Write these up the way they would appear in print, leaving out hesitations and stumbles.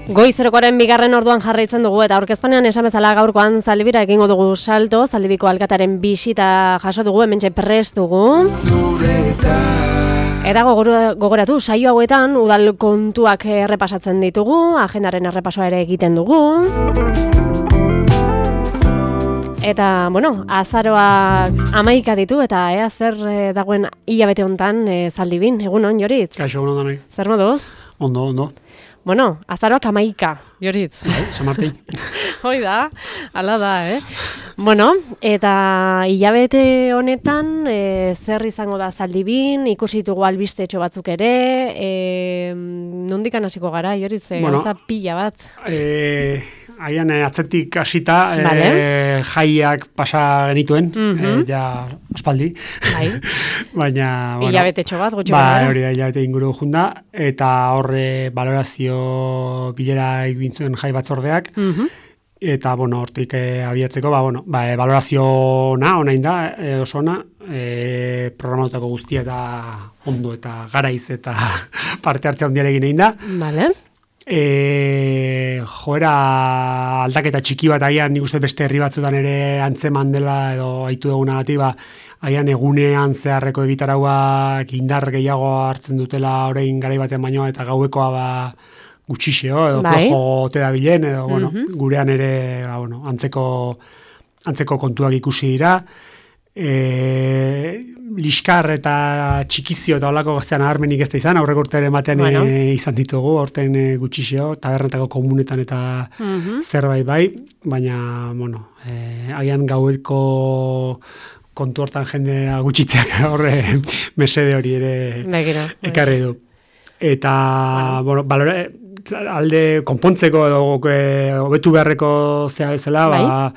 Goizerokoaren bigarren orduan jarraitzen dugu eta aurkezpanean esan bezala gaurkoan Zaldibira egingo dugu salto, Zaldibiko alkatearen bisita jaso dugu, hementxe prest dugu. Eta gogoratu, saio hauetan udal kontuak errepasatzen ditugu, agendaren errepasoa ere egiten dugu. Eta, bueno, azaroak 11 ditu eta ea zer dagoen hilabete hontan Zaldibin, egunon, Joritz? Kaixo, egunon danoi. Zer moduz? Ondo. Bueno, azaroak 11, Joritz. San Martin. Hoi da, ala da, Bueno, eta hilabete honetan zer izango da Zaldibin, ikusi ditugu albistetxo batzuk ere, nondikan hasiko gara, Joritz, gauza pila bat. Haian atzetik hasita, jaiak pasa genituen, ja aspaldi. Bai. Baina, bueno, hilabetetxo bat, gutxo gara. Hori da, hilabete inguru junda, eta horre valorazio bilera egin zuen jai batzordeak, eta, bueno, hortik abiatzeko, valorazio onain da, oso ona, programatutako guztia eta ondo eta garaiz eta parte hartzea ondiarekin egin da. Vale. Joera aldaketa txiki bat agian nik uste beste herri batzutan ere antzeman dela edo aitu dugunagatik, agian egunean zeharreko egitarauak indar gehiago hartzen dutela orain garai baten baino eta gauekoa gutxixeo edo flojo ote dabilen edo gurean ere antzeko kontuak ikusi dira. Liskar eta txikizio eta holako gaztean aharmenik ez da izan, aurreko urtearen batean izan ditugu, horten gutxixeo, tabernetako komunetan eta zerbait bai, baina, agian gaueko kontu hortan jendea gutxitzeak horre mesede hori ere ekarri du. Eta, alde konpontzeko edo hobetu beharreko zea bezala,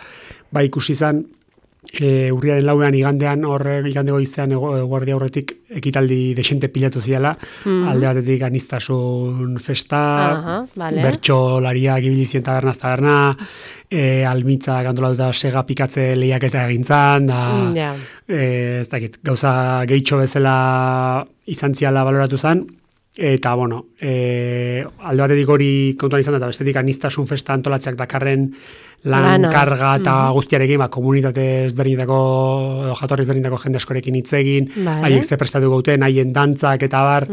ikusi izan, urriaren 4 igandean, igandego izan guardia aurretik ekitaldi desente pilatu ziala, alde batetik aniztasun festa, bertsolariak ibili ziren tabernaz taberna, almitza antolatuta sega pikatze lehiaketa egintzan, ez dakit, gauza gehitxo bezala izan ziala baloratu zen, eta, alde batetik hori kontuan izan da, eta bestetik aniztasun festa antolatzeak dakarren lan karga eta guztiarekin, komunitate ezberdinetako, jatorri ezberdinetako jende askorekin hitz egin, haiek ze prestatu gauten, haien dantzak eta bar,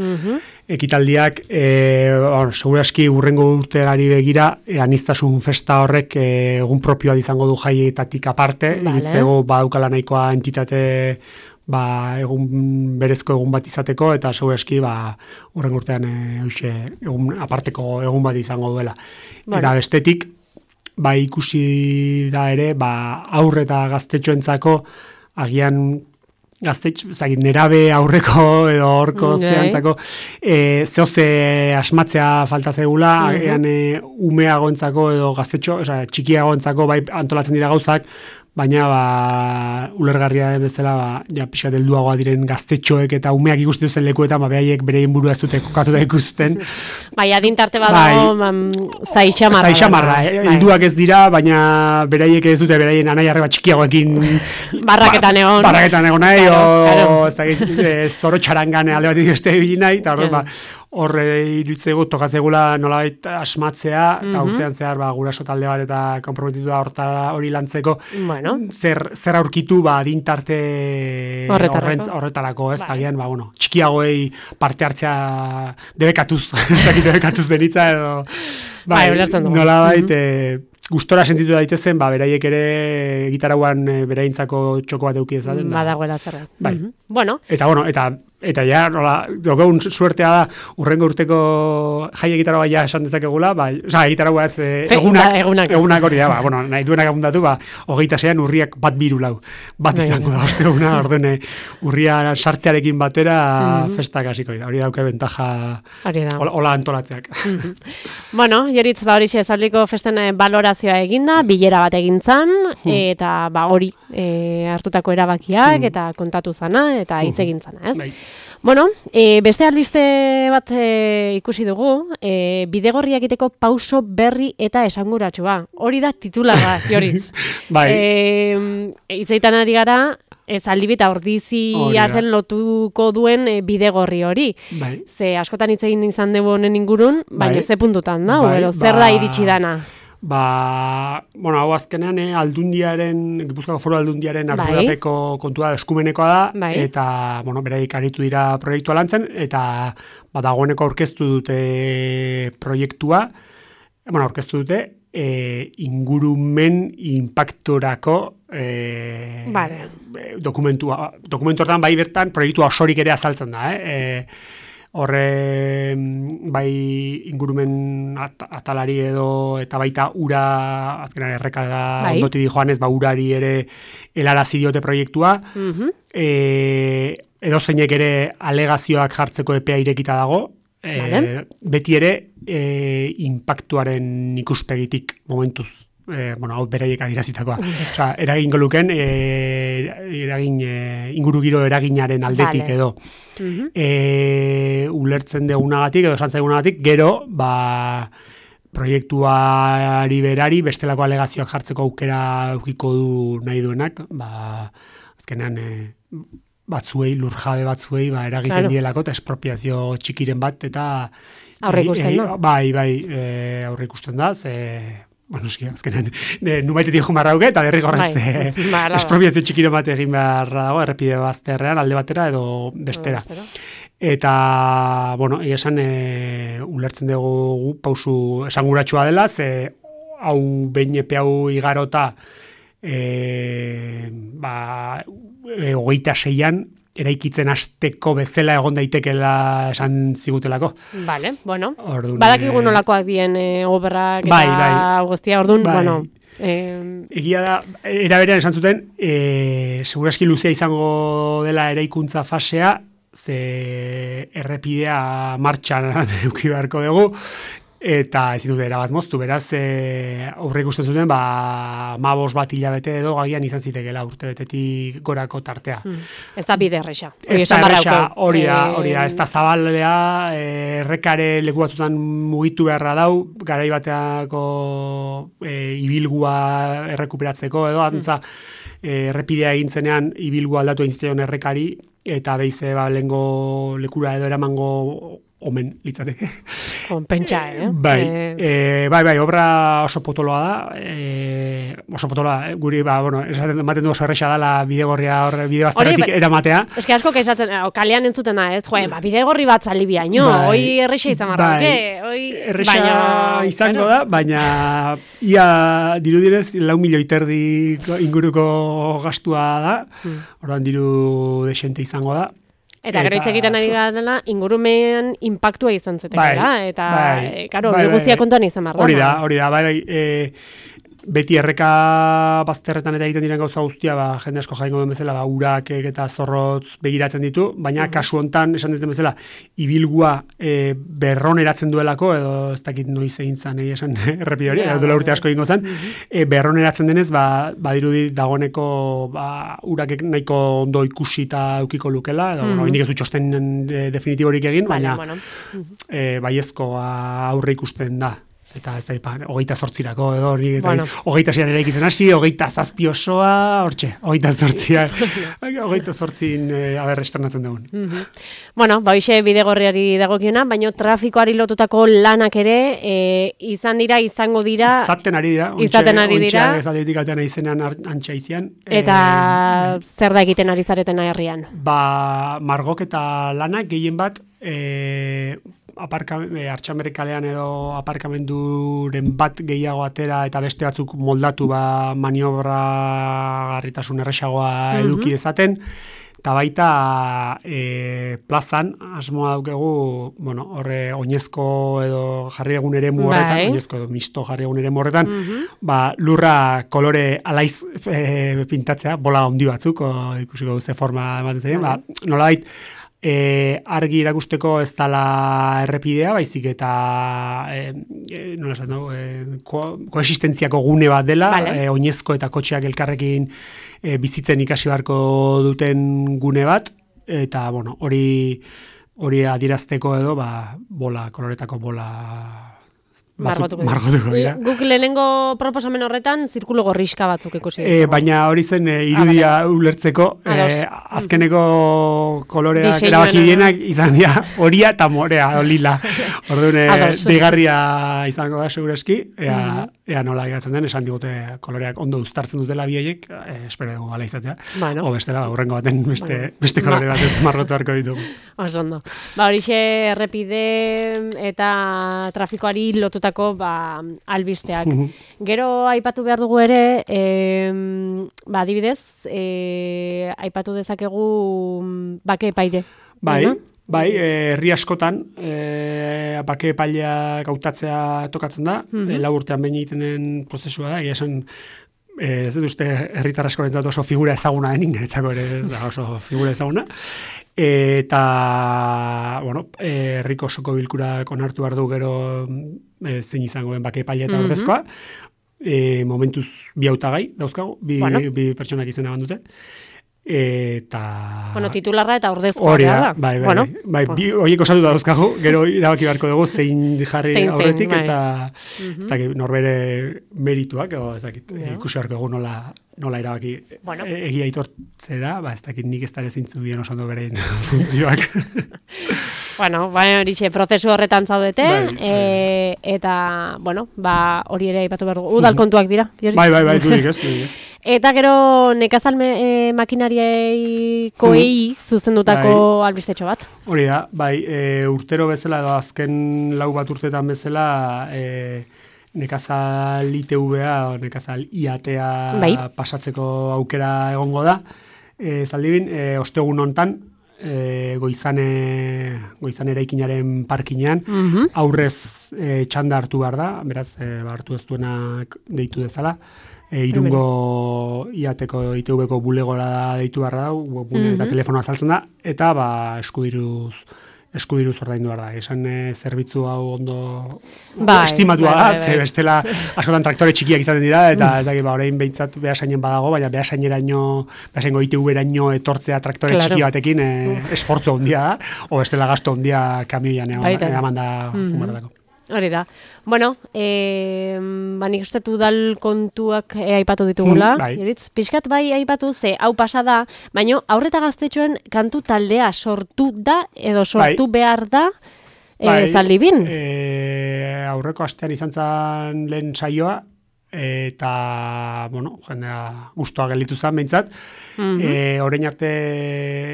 ekitaldiak, seguraski urrengo urterari begira, aniztasun festa horrek egun propioa izango du jaietatik aparte, irutzego badaukala nahikoa entitate berezko egun bat izateko, eta seguraski urren urtean egun aparteko egun bat izango duela. Eta bestetik, ikusi da ere, aurre eta gaztetxoentzako, agian nerabe aurreko edo horko zehantzako, zehoze asmatzea falta zegula, agian umeagoentzako edo gaztetxo, txikiagoentzako antolatzen dira gauzak, baina ulergarria bezala pixka helduagoa diren gaztetxoek eta umeak ikusten duzen lekuetan behaiek bereien burua ez dute kokatuta ikusten. Adintarte badago zaixamarra. Zaixamarra, helduak ez dira, baina beraiek ez dute beraien anai-arreba txikiagoekin barraketan egon nahi, zoro txarangan alde bat izte ibili nahi, eta horre irutzego tokatzegula nolabait asmatzea, eta urtean zehar guraso talde bat eta konprometitu da hori lantzeko, zer aurkitu adintarte horretarako, ez? Agian, txikiagoei parte hartzea debekatuz denitza, edo nolabait gustora sentitu daitezen, beraiek ere gitarauan bereintzako txoko bat eduki ezaten. Badagoela zerra. Eta ja, dokeun suertea da, urrengo urteko jai egitaragoa ja esan dezakegula, egitaragoa ez egunak hori da, nahi duenak abundatu, 26an urriak 1-2 bat izango da, osteguna, ordene urria sartzearekin batera festak hasiko dira, hori dauke bentaja hola antolatzeak. Joritz, horixe Zaldiko festen balorazioa eginda, bilera bat egintzan, eta hori hartutako erabakiak, eta kontatu zana, eta hitz egin zana, ez? Beste albiste bat ikusi dugu, bidegorria egiteko pauso berri eta esanguratsua. Hori da titularra, Joritz. Hitzeitan ari gara, Zaldibita Ordiziaren lotuko duen bidegorri hori. Bai. Ze askotan hitz egin izan dugu honen ingurun, baina ze puntutan da, edo zer da iritsi dana? Hau azkenean Gipuzkoako Foru Aldundiaren ardurapeko kontua eskumenekoa da, eta, beraik aritu dira proiektua lantzen, eta dagoeneko aurkeztu dute proiektua, aurkeztu dute, ingurumen impactorako dokumentu hortan bai bertan proiektua osorik ere azaltzen da, horre bai ingurumen atalari edo eta baita ura azkenan errekada ondoti di joanez, urari ere helarazi diote proiektua, edo zeinek ere alegazioak jartzeko epea irekita dago, beti ere impactuaren ikuspegitik momentuz. Hau beraiek adirazitakoa. Eragingo luken, ingurugiro eraginaren aldetik edo. Ulertzen degunagatik, edo santzaigunagatik, gero, proiektuari berari, bestelako alegazioak jartzeko aukera eukiko du nahi duenak, azkenean lurjabe batzuei, eragiten dielako, eta espropiazio txikiren bat, eta aurre ikusten da. Aurre ikusten da, azkenean, nubaitetik joan barra eta derrigorrez espropiazio txikiro bat egin beharra dago, errepide bazterrean, alde batera edo bestera. Eta, esan, ulertzen dugu pausu esanguratsua dela, ze hau behin epe hau igarota 26an, eraikitzen hasteko bezala egon daitekela esan zigutelako. Bale, badakigu nolakoak dien oberrak eta guztia, orduan, egia da, eraberean esan zuten, seguraski luzea izango dela eraikuntza fasea, ze errepidea martxan eduki beharko dugu, eta ezin dute erabat moztu, beraz, aurre ikusten zuten, 15 bat hilabete edo gagian izan zitekela urtebetetik gorako tartea. Ez da bide erresa. Ez da erresa, hori da, ez da zabalea, errekare leku batzutan mugitu beharra dau, garai bateako ibilgua errekuperatzeko edo, antza, errepidea egin zenean ibilgua aldatu egin zion errekari, eta behize lehengo lekura edo eramango omen litzateke. Pentsa, Bai, obra oso potoloa da, guri, ematen du oso erresa dela bidegorria hor, bidebazterretik eramatea. Ez que asko esaten, kalean entzuten da, bidegorri bat zalibia, hoi erresa izan marra, erresa izango da, baina ia dirudirez 4 milioi terdi inguruko gastua da, orduan diru desente izango da. Eta gero hitz egiten ari garela, ingurumen impactua izan zetekela, eta, karo, guztia kontuan izan marra. Hori da, beti erreka bazterretan eta egiten diren gauza guztia, jende asko jaingo duen bezala, urak eta zorrotz begiratzen ditu, baina kasu hontan esan duten bezala, ibilgua berroneratzen duelako, edo ez dakit noiz egin zan, esan errepide hori, edo urte asko egingo zen, berroneratzen denez, badirudi dagoeneko urak nahiko ondo ikusi eta eukiko lukela, edo indik ez du txosten definitiborik egin, baina baiezko aurre ikusten da. Eta ez da, 28rako edo, 26an ere ikitzen hasi, 27 osoa, hortxe, 28in esternatzen dugun. Hoxe bidegorriari dagokiona, baina trafikoari lotutako lanak ere izango dira. Izaten ari dira. Ontxeak ez aldetik atean izenean antxa izian. Eta zer da egiten ari zareten herrian? Margok eta lanak gehien bat, Artxamerrik kalean edo aparkamenduren bat gehiago atera eta beste batzuk moldatu maniobra garritasun erresagoa eduki dezaten, eta baita plazan asmoa daukegu, horre oinezko edo jarri egun ere horretan, oinezko edo misto jarri egun ere horretan, lurra kolore alaiz pintatzea, bola handi batzuk, ikusiko ze forma ematen zaien, nolabait, argi irakusteko ez dala errepidea, baizik eta koexistentziako gune bat dela, oinezko eta kotxeak elkarrekin bizitzen ikasi beharko duten gune bat, eta hori adierazteko edo koloretako bola margotuko dira. Guk lehenengo proposamen horretan zirkulo gorriska batzuk ikusi. Baina hori zen irudia ulertzeko, azkeneko koloreak erabaki dienak izan dira horia eta morea, lila. Orduan, deigarria izango da, segureski, ea nola geratzen den, esan digute koloreak ondo uztartzen dutela bioiek, espero dugu gala izatea. O bestela, urrengo baten beste kolore bat ez margotu harko ditugu. Oso ondo. Horixe errepide eta trafikoari lotutako albisteak. Gero aipatu behar dugu ere, adibidez, aipatu dezakegu bake epaile. Bai, herri askotan bake epailea gautatzea tokatzen da, 4 urtean behin egiten den prozesua da, esan ez dut uste herritar askorentzat oso figura ezaguna denik, niretzako ere ez da oso figura ezaguna. Eta, herriko osoko bilkurak onartu behar du gero zein izango den bake epailea eta ordezkoa. Momentuz 2 hautagai dauzkagu, bi pertsonak izena bandute. Eta... titularra eta ordezkoa da. Bai, horiek osatu da dauzkagu, gero irabaki beharko dugu zein jarri aurretik, eta ez dakit norbere merituak, ikusi beharko dugu nola erabaki egia aitortzera, ez dakit nik ez dara zintzu dien osando beren funtzioak. Horixe, prozesu horretan zaudete, eta, hori ere aipatu behar dugu, udal kontuak dira. Bai, dudik ez. Eta gero nekazal makinariei zuzendutako albistetxo bat. Hori da, urtero bezala edo azken 4 bat urtetan bezala nekazal ITV-a o nekazal IAT-a pasatzeko aukera egongo da. Zaldibin, ostegun hontan, goizane eraikinaren parkinean, aurrez txanda hartu behar da, beraz, hartu ez duenak deitu dezala. Irungo IATeko ITV-ko bulegora deitu behar da, webgune eta telefonoa azaltzen da, eta eskudiruz ordaindu behar da. Esan zerbitzu hau ondo estimatua da, ze bestela askotan traktore txikiak izaten dira, eta ez dakit, orain behintzat behasainen badago, baina behasaingo ITV-eraino etortzea traktore txiki batekin esfortzu handia da, o bestela gasto handia kamioian eman da humaradako. Hori da. Nik uste udal kontuak aipatu ditugula. Pixkat aipatu ze, hau pasa da, baina aurreta gaztetxoen kantu taldea sortu da, edo sortu behar da, Zaldibin? Aurreko astean izan zen lehen saioa, eta, jendea guztua gelditu zen, behintzat. Orain arte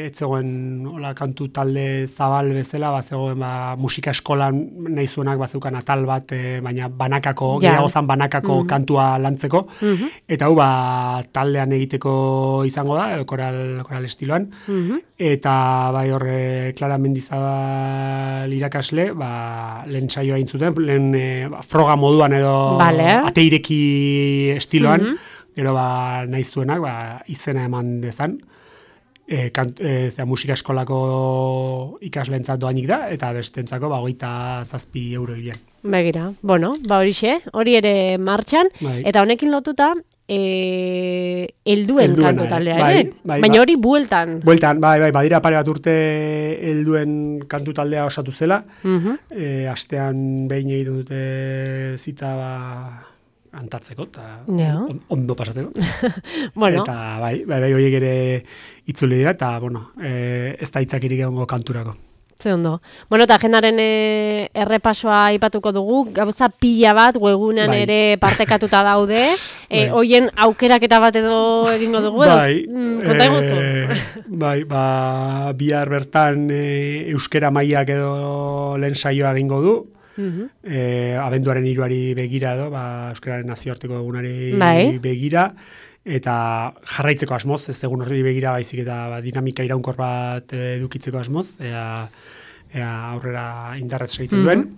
etzegoen kantu talde zabal bezala, zegoen musika eskolan nahi zuenak zeukan atal bat, baina gehiago zan banakako kantua lantzeko. Eta hau taldean egiteko izango da, edo koral estiloan. Eta horre Clara Mendizabal irakasle, lehen saioa egin zuten, lehen froga moduan edo ateireki estiloan, gero nahi zuenak izena eman dezan, musika eskolako ikasleentzat doainik da, eta bestentzako 27 euro hilean. Begira, horixe, hori ere martxan, eta honekin lotuta, helduen kantu taldea ere, baina hori bueltan. Bueltan, badira pare bat urte helduen kantu taldea osatu zela, astean behin egiten dute zita antatzeko, eta ondo pasatzeko. Eta horiek ere itzuli dira, eta ez da hitzakirik egongo kanturako. Ze ondo. Eta agendaren errepasoa aipatuko dugu, gauza pila bat, webunean ere partekatuta daude, hoien aukeraketa bat edo egingo dugu, konta eguzu? Bihar bertan euskera mailak edo lehen saioa egingo du, abenduaren 3 begira edo, euskararen nazioarteko egunari begira, eta jarraitzeko asmoz, ez egun horri begira baizik eta dinamika iraunkor bat edukitzeko asmoz, aurrera indarrez segitzen duen.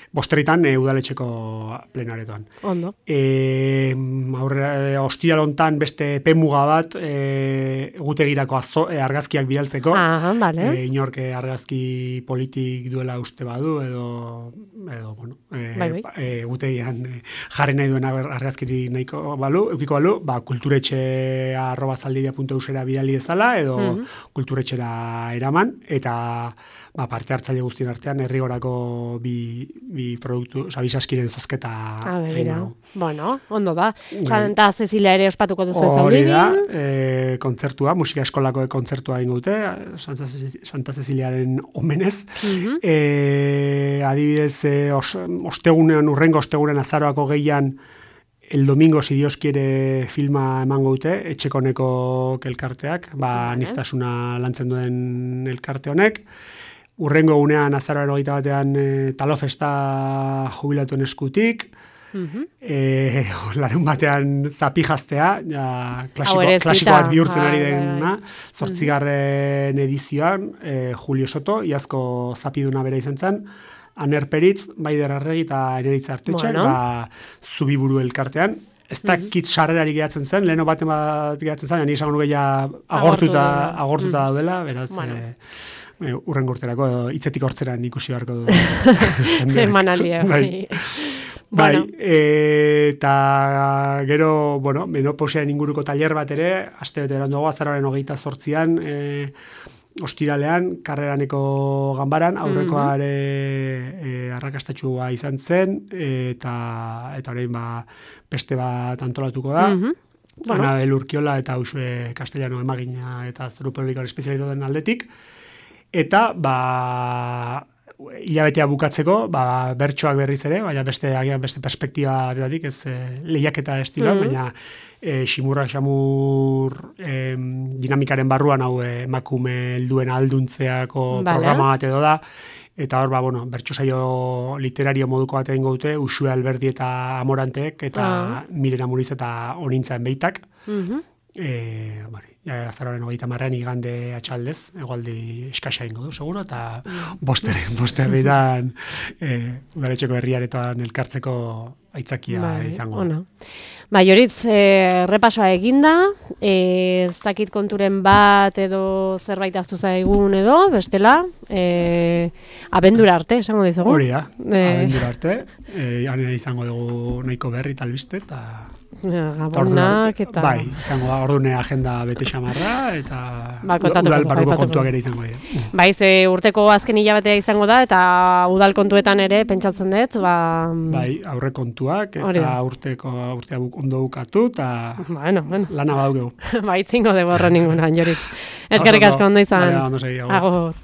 Bosterritan udaletxeko plenaretoan. Ondo. Ostiral hontan beste epemuga bat egutegirako argazkiak bidaltzeko. Inork argazki politik duela uste badu, edo egutegian jarri nahi duen argazkiri nahiko eukiko balu, kulturetxe@zaldibia.eusera bidali dezala, edo kulturetxera eraman, eta parte hartzaile guztien artean herrigorako bi produktu, bi saskiren zozketa. Bueno, ondo da. Santa Cecilia ere ospatuko duzu ez hori da, kontzertua, musika eskolako kontzertua ingo dute, Santa Ceciliaren omenez. Adibidez, urrengo ostegunean azaroako gehian, el domingo, si Dios quiere, filma emango dute, etxekoneko elkarteak, aniztasuna lantzen duen elkarte honek. Urrengo egunean azaroaren 21ean Talofesta jubilatuen eskutik, larun batean zapijaztea, klasiko bat bihurtzen ari dena, 8. edizioan, Julio Soto, iazko zapiduna bera izan zen, Aner Peritz, Baider Arregi eta Eneritza Artetxak, Zubiburu elkartean. Ez da kit sarrerari gehatzen zen, leheno baten bat gehatzen zen, nik esango nuke agortuta daudela, beraz, urrengo urterako, hitzetik hortzeran ikusi beharko du. Emanaldia. Bai, eta gero, menopausiaren inguruko taller bat ere, aste bete beranduago, azaroaren 28an, ostiralean, Karreraneko ganbaran, aurrekoare arrakastatxua izan zen, eta orain beste bat antolatuko da. Anabel Urkiola eta Usue Castellano emagina eta zoru publikoan espezialitu den aldetik. Eta, hilabetea bukatzeko, bertsoak berriz ere, baina beste perspektiba batetik, ez lehiaketa estilo, baina xamur dinamikaren barruan hau emakume helduen alduntzeako programa bat edo da, eta hor, bertso saio literario moduko bat egingo dute, Usue Alberdi eta Amorantek, eta Miren Amuriz eta Onintzaen Beitak. Azaroaren 30an igande atxaldez, egualdi eskasa ingo du, seguro, eta bosterritan udaletxeko herriaretoan elkartzeko aitzakia izango. Joritz, repasoa eginda, ez dakit konturen bat edo zerbait aztu zaigun edo, bestela, abendura arte, esango dizugu. Hori da, abendura arte, izango dugu nahiko berri talbiste, eta Gabonak eta... Bai, izango da, ordune agenda bete xamarra, eta udal barruko kontuak ere izango dira. Bai, urteko azken hilabetea izango da, eta udal kontuetan ere pentsatzen dut, Bai, aurre kontuak, eta urtea ondo bukatu, eta lana badaukegu. Bai, itzingo dugu horren ningunan, Joritz. Eskerrik asko ondo izan. Agur.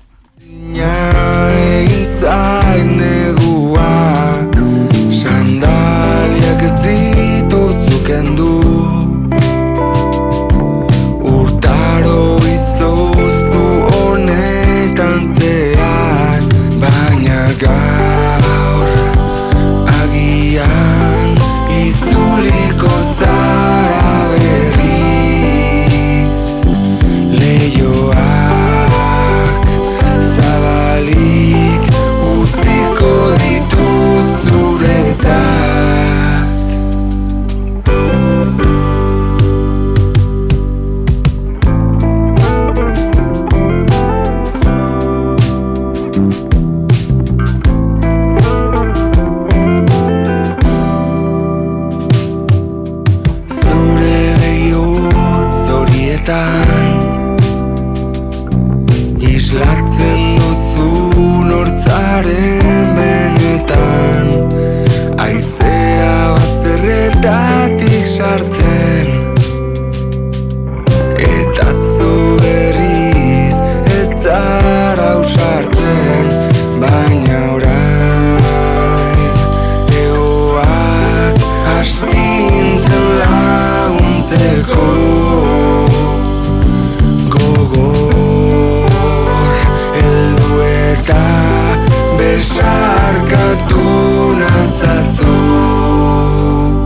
Sandaliak ez dituzukendu urtaro izoztu honetan zehar, baina gaur agian itzuliko zara berriz, leioak zabalik utziko ditut zuretzat. Islatzen